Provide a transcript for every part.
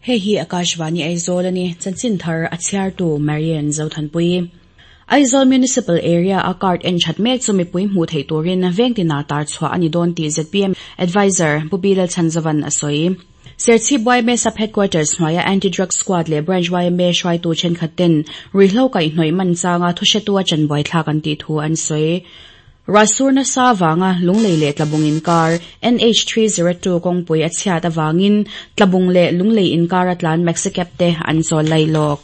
Hei hi Akashvani Aizawl a ni, chanchin thar a chhiartu Marian Zothanpui. Aizawl Municipal Area a card en that mek chu mipui hmuh theih turin vengtina tar chhuah a ni dawn tih zpm Adviser Pu Bilal Chhanzavan a sawi. Serchhip yma Sub Headquarters hnuaia Anti-Drug Squad leh Branch yma hruaitu thenkhat ten ruihhlo kaihhnawih man changa thuhretu a chanbuai thlak an tih thu an sawi. Ruahsur nasa avanga Lunglei leh Tlabung inkar NH 302 kawngpui a chhiat avangin Tlabung leh Lunglei inkar a tlan Maxicab te an chawl lai lawk.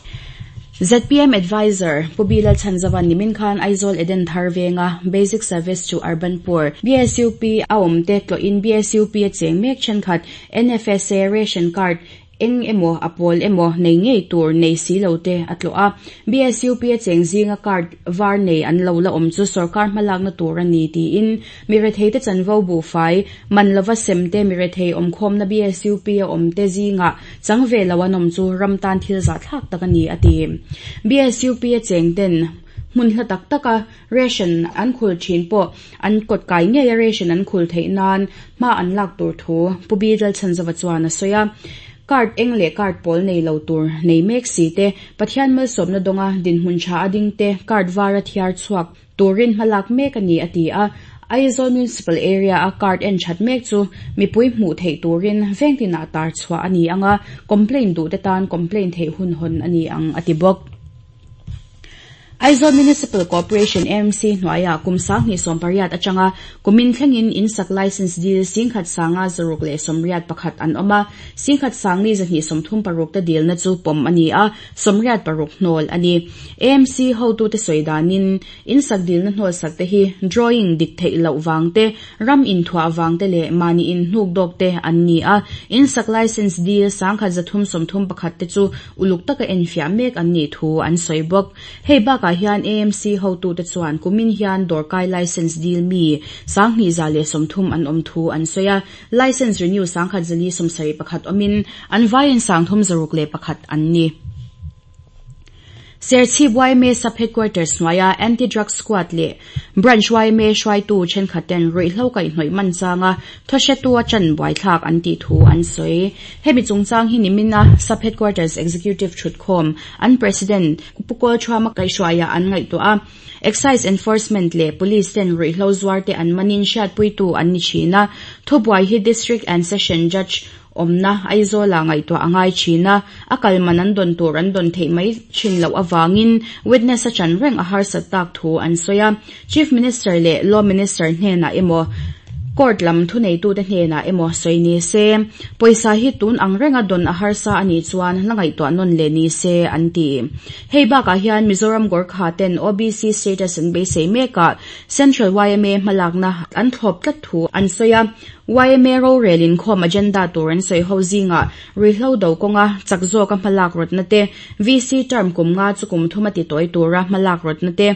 Zpm Adviser Pu Bilal Chhanzavan nimin khan Aizawl Eden Thar venga Basic Service to Urban Poor, BSUP, a awm te tlawhin BSUP a cheng mek thenkhat NFSA Ration Card Eng emaw, a pawl emaw nei ngei tur nei si lo te a tlawh a. BSUP a cheng zinga card var nei an lo la awm chu sorkar hmalakna tur a ni tiin mi rethei te chanvo buhfai man lova sem te mi rethei awmkhawmna BSUP a awm te zingah chang ve lo an awm chu ram tan thil zahthlak tak a ni a ti. BSUP a cheng ten hmun hla tak taka Ration an khul thin pawh an kawt kai ngei a ration an khul theih nan hma an lak tur thu Pu Bi Lalchhanzova chuan a sawi a. Card eng leh card pawl nei lo tur nei mek si te, Pathian malsawmna dawnga dinhmun tha a ding te card var a thiar chhuak turin hma lak mek a ni a ti a. Aizawl Municipal Area a card en that mek chu mipui hmuh theih turin veng tinah tar chhuah a ni ang a, complaint duh te tan complaint theih hun hawn a ni ang a ti bawk. Aizawl Municipal Corporation, AMC, hnuaiah kum 2018 atanga kumin thlengin in sak licence dil 16,681 an awm a, 10,236 te dilna chu pawm a ni a, 86 hnawl a ni. AMC hotute sawi danin in sak dilna hnawl sak te hi drawing dik theih loh vang te, ram inthuah vang te leh mahni inhnuk dawk te an ni a, in sak licence dil 1331 te chu uluk taka enfiah mek an nih thu an sawi bawk. Hei bakah hian AMC hotute chuan kumin hian dawrkai licence dil mi 2130 an awm thu an sawi a, licence renew 1471 awmin an vaiin 361 an ni. Serchhip yma Sub Headquarters hnuaia Anti-Drug Squad leh Branch yma hruaitu thenkhatten ruihhlo kaihhnawih man changa Thawhretu a chan buaithlak an tih thu an sawi. Hemi chungchang hi nimina Sub Headquarters Executive thutkhawm an President Pu Kawlthuama kaihhruaiah an ngaihtuah a. Excise Enforcement leh Police ten ruihhlo zuar te an manin hriatpuitu an ni thin a. Thubuai hi District and Session Judge awmna Aizawlah ngaihtuah a ngai thin a, a kal man an dawn tur an dawn theih mai thin loh avangin witness a chan reng a harsat tak thu an sawi a. Chief Minister leh Law Minister hnenah emaw Court lam thuneitute hnenah emaw sawi ni se, pawisa hi tun ang renga dawn a harsa a nih chuan la ngaihtuah nawn leh ni se an ti. Hei bakah hian Mizoram Gorkha ten OBC status an beisei mekah Central yma hmalakna an thlawp tlat thu an sawi a. Yma rorel inkhawm agenda tur an sawi ho zingah ruihhlo do kawnga chak zawka hmalak rawtna te, VC term kum nga chu kum thuma titawi tura hmalak rawtna te,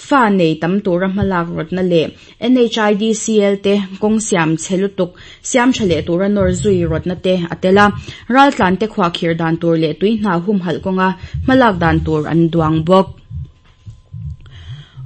Fa nei tam tura hmalak rawtna leh NHIDCL te kawng siam chhe lutuk siam tha leh tura nawr zui rawtna te a tel a, raltlan te khuahkhir dan tur leh tui hna humhalh kawnga hmalak dan tur an duang bawk.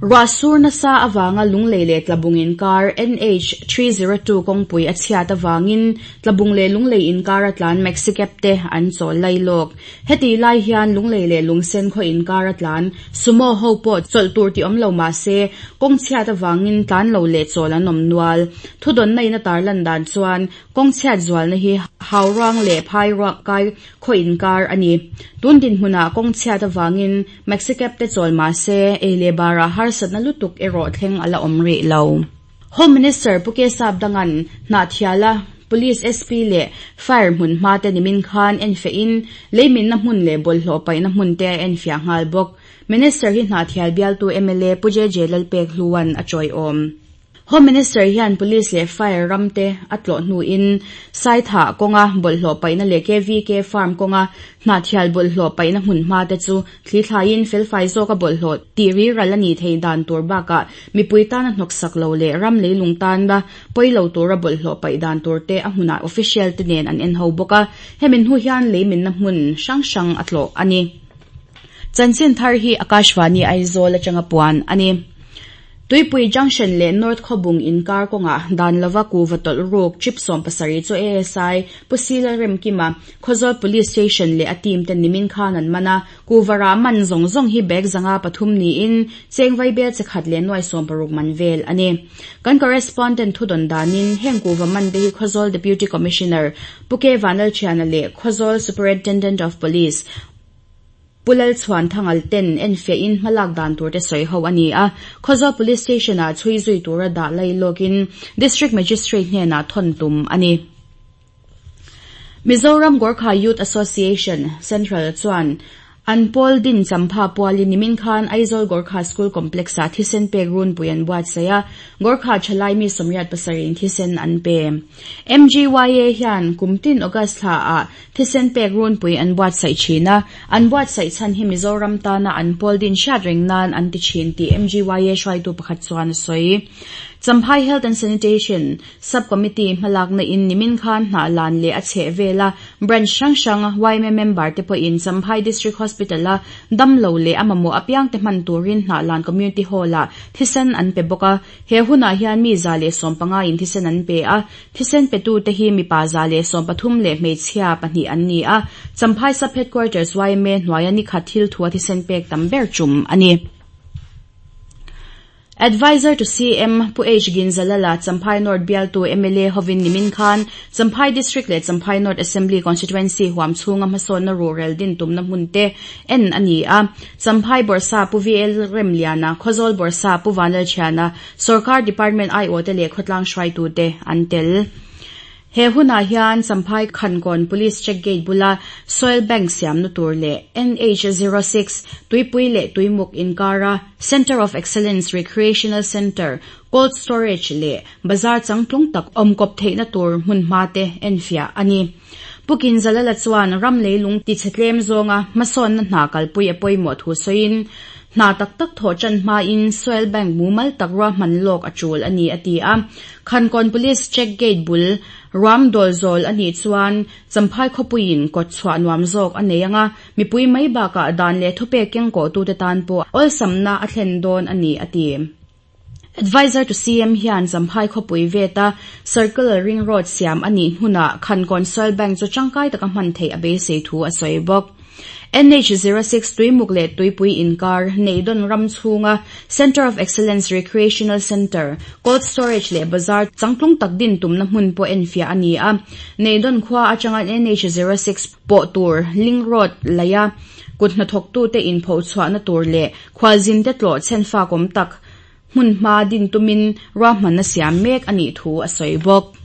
Ruah sur nasa avanga Lunglei leh Tlabung inkar NH 302 kawngpui a chhiat avangin Tlabung leh Lunglei inkar a tlan Maxicab te an chawl lai lawk. Heti lai hian Lunglei leh Lungsen khaw inkar a tlan Sumo ho pawh chawlh tur tih awm lo mah se, kawng chhiat avangin tlan lo leh chawl an awm nual. Thudawnna in a tarlan dan chuan kawng chhiat zualna hi Hauruang leh Phairuak kai khaw inkar a ni. Tun dinhmunah kawng chhiat avangin Maxicab te chawl mah se, ei leh barah harsatna lutuk erawh thleng a la awm rih lo. Home Minister Pu Kesap Dangan Hnahthiala Police SP leh Fire hmun hma te nimin khan enfehin leiminna hmun leh bawlhhlawh paihna hmun te a enfiah nghal bawk. Minister hi Hnahthial bialtu mla Pu JJ Lalpekhluan a chawiawm. Home Minister hian Police leh Fire ram te a tlawh hnuin Saithah kawnga bawlhhlawh paihna leh KVK Farm kawnga Hnahthial bawlhhlawh paihna hmun hma te chu Thli thlaiin felfai zawka bawlhhlawh tih riral a nih theih dan tur bakah mipui tana hnawksak lo leh ram leilung tana pawi lo tura bawlhhlawh paih dan tur te a hmunah official te nen an en ho bawk a, hemi hnu hian leiminna hmun hrang hrang a tlawh a ni. Chanchin thar hi Akashvani Aizawl atanga puan a ni. Tuipui Junction leh North Khawbung inkar kawngah dan lova kuhva tawlh ruk trip 70 chu ASI Pu Sila Remkima, Khawzawl Police Station leh a team ten nimin khan an man a, kuhva rah man zawng zawng hi bag zanga pathum niin cheng vaibel che khat leh nuai 60 man vel a ni. Kan correspondent thudawn danin heng kuhva man te hi Khawzawl Deputy Commissioner Pu K Vanlalthiana leh Khawzawl Superintendent of Police Pu Lalchhuan Thangal ten enfiahin hmalak dan tur te sawi ho a ni a, Khawzawl Police Station ah chhui zui tura dah lailawkin District Magistrate hnenah thawn tum a ni. Mizoram Gorkha Youth Association, Central, chuan an pawl din champha pualin nimin khan Aizawl Gorkha School Complex ah thisen pek runpui an buatsaih a, Gorkha thalai mi 87 in thisen an pe. MGYA hian kumtin August thla ah thisen pek runpui an buatsaih thin a, an buatsaih chhan hi Mizoram tana an pawl din hriat reng nan an ti thin tih MGYA hruaitu pakhat chuan a sawi. Champhai Health and Sanitation Sub-Committee hmalakna in nimin khan hnah lan leh a chheh vela branch hrang hrang YMA member te pawhin Champhai District Hospital a damlo leh a mamawh apiang te hman turin hnah lan Community Hall ah thisen an pe bawk a, he hunah hian mi 115 in thisen an pe a, thisen petu te hi mipa 113 leh hmeichhia pahnih an ni a, Champhai Sub-Headquarters YMA hnuaia ni khat thil thua thisen pek tam ber tum a ni. Advisor to CM Pu H Ginzalala Champhai North bialtu MLA hovin nimin khan Champhai District leh Champhai North Assembly Constituency huam chhunga hmasawnna ruhrel din tumna hmun te en a ni a, Champhai Bawrhsap Pu VL Remliana, Khawzawl Bawrhsap Pu Vanlalthiana, Sorkar Department aiawh te leh khawtlang hruaitu te an tel. He hunah hian Champhai Khankawn Police Check Gate bula Soil Bank siamna tur leh NH 06 Tuipui leh Tuimuk inkara Centre of Excellence Recreational Centre, Cold Storage leh Bazar changtlung tak awmkawp theihna tur hmunhma te enfiah a ni. Pu Kinzalala chuan ram leilung tichhe tlem zawnga hmasawnna hna kalpui a pawimawh thu sawiin hna tak tak thawh tan hmain Soil Bank mumal tak ruahman lawk a tul a ni a ti a. Khankawn Police Check Gate bul ruam dawl zawl a nih chuan Champhai khawpuiin kawt chhuah nuam zawk a nei anga, mipui mai bakah dan leh thupek keng kawhtute tan pawh awlsamna a thlen dawn a ni a ti. Advisor to CM hian Champhai khawpui veta Circular Ring Road siam a nih hmunah Khankawn Soil Bank chu tangkai taka hman theih a beisei thu a sawi bawk. NH 06 Tuimuk leh Tuipui inkar Neidon ram chhunga Centre of Excellence Recreational Centre, Cold Storage leh Bazar changtlung tak din tumna hmun pawh enfiah a ni a, Neidon khua atanga NH 06 pawh tur Link Road laia kut hnathawktute inpho chhuahna tur leh khualzin te tlawh chhenfak awm tak hmunhma din tumin ruahmanna siam mek a nih thu a sawi bawk.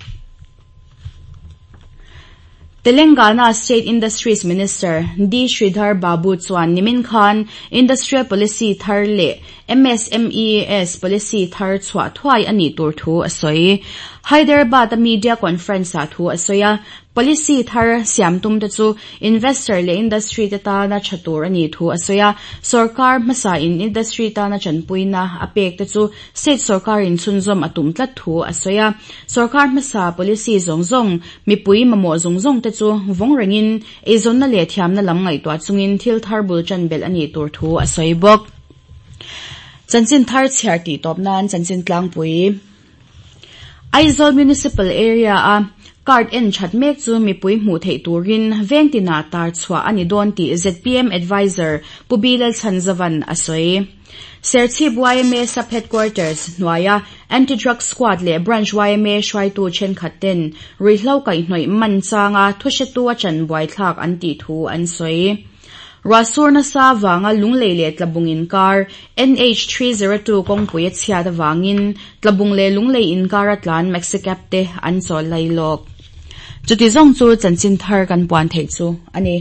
Telangana State Industries Minister D Sridhar Babu chuan nimin khan Industrial Policy thar leh MSMES Policy thar chhuah thuai a nih tur thu a sawi. Hyderabad a media conference ah thu a sawi a, Policy thar siam tum te chu investor leh industry te tana tha tur a nih thu a sawi a, sorkar hmasa in industry tana chanpuina a pek te chu state sorkar in chhunzawm a tum tlat thu a sawi a, sorkar hmasa policy zawng zawng mipui mamawh zawng zawng te chu vawng rengin eizawnna leh thiamna lam ngaihtuah chungin thil thar bul tan belh a nih tur thu a sawi bawk. Chanchin thar chhiar tih tawp nan chanchin tlangpui. Aizawl Municipal Area a card en that mek chu mipui hmuh theih turin vengtina tar chhuah a ni dawn tih ZPM Advisor Pu B Lalchhanzavan a sawi. Serchhip YMA Sub-Headquarters hnuaia Anti-Drug Squad leh Branch YMA hruaitu thenkhat ten ruihhlo kaihhnawih man changa thuhretu a chan buaithlak an tih thu an sawi. Ruahsur nasa wanga lunglei leh tlabung inkar NH 302 kawngpui a chhiat awangin tlabung leh lunglei inkar a tlan Maxicab te an chawl lailawk. Chuti zawng chu chanchin thar kan puan theih chu a ni.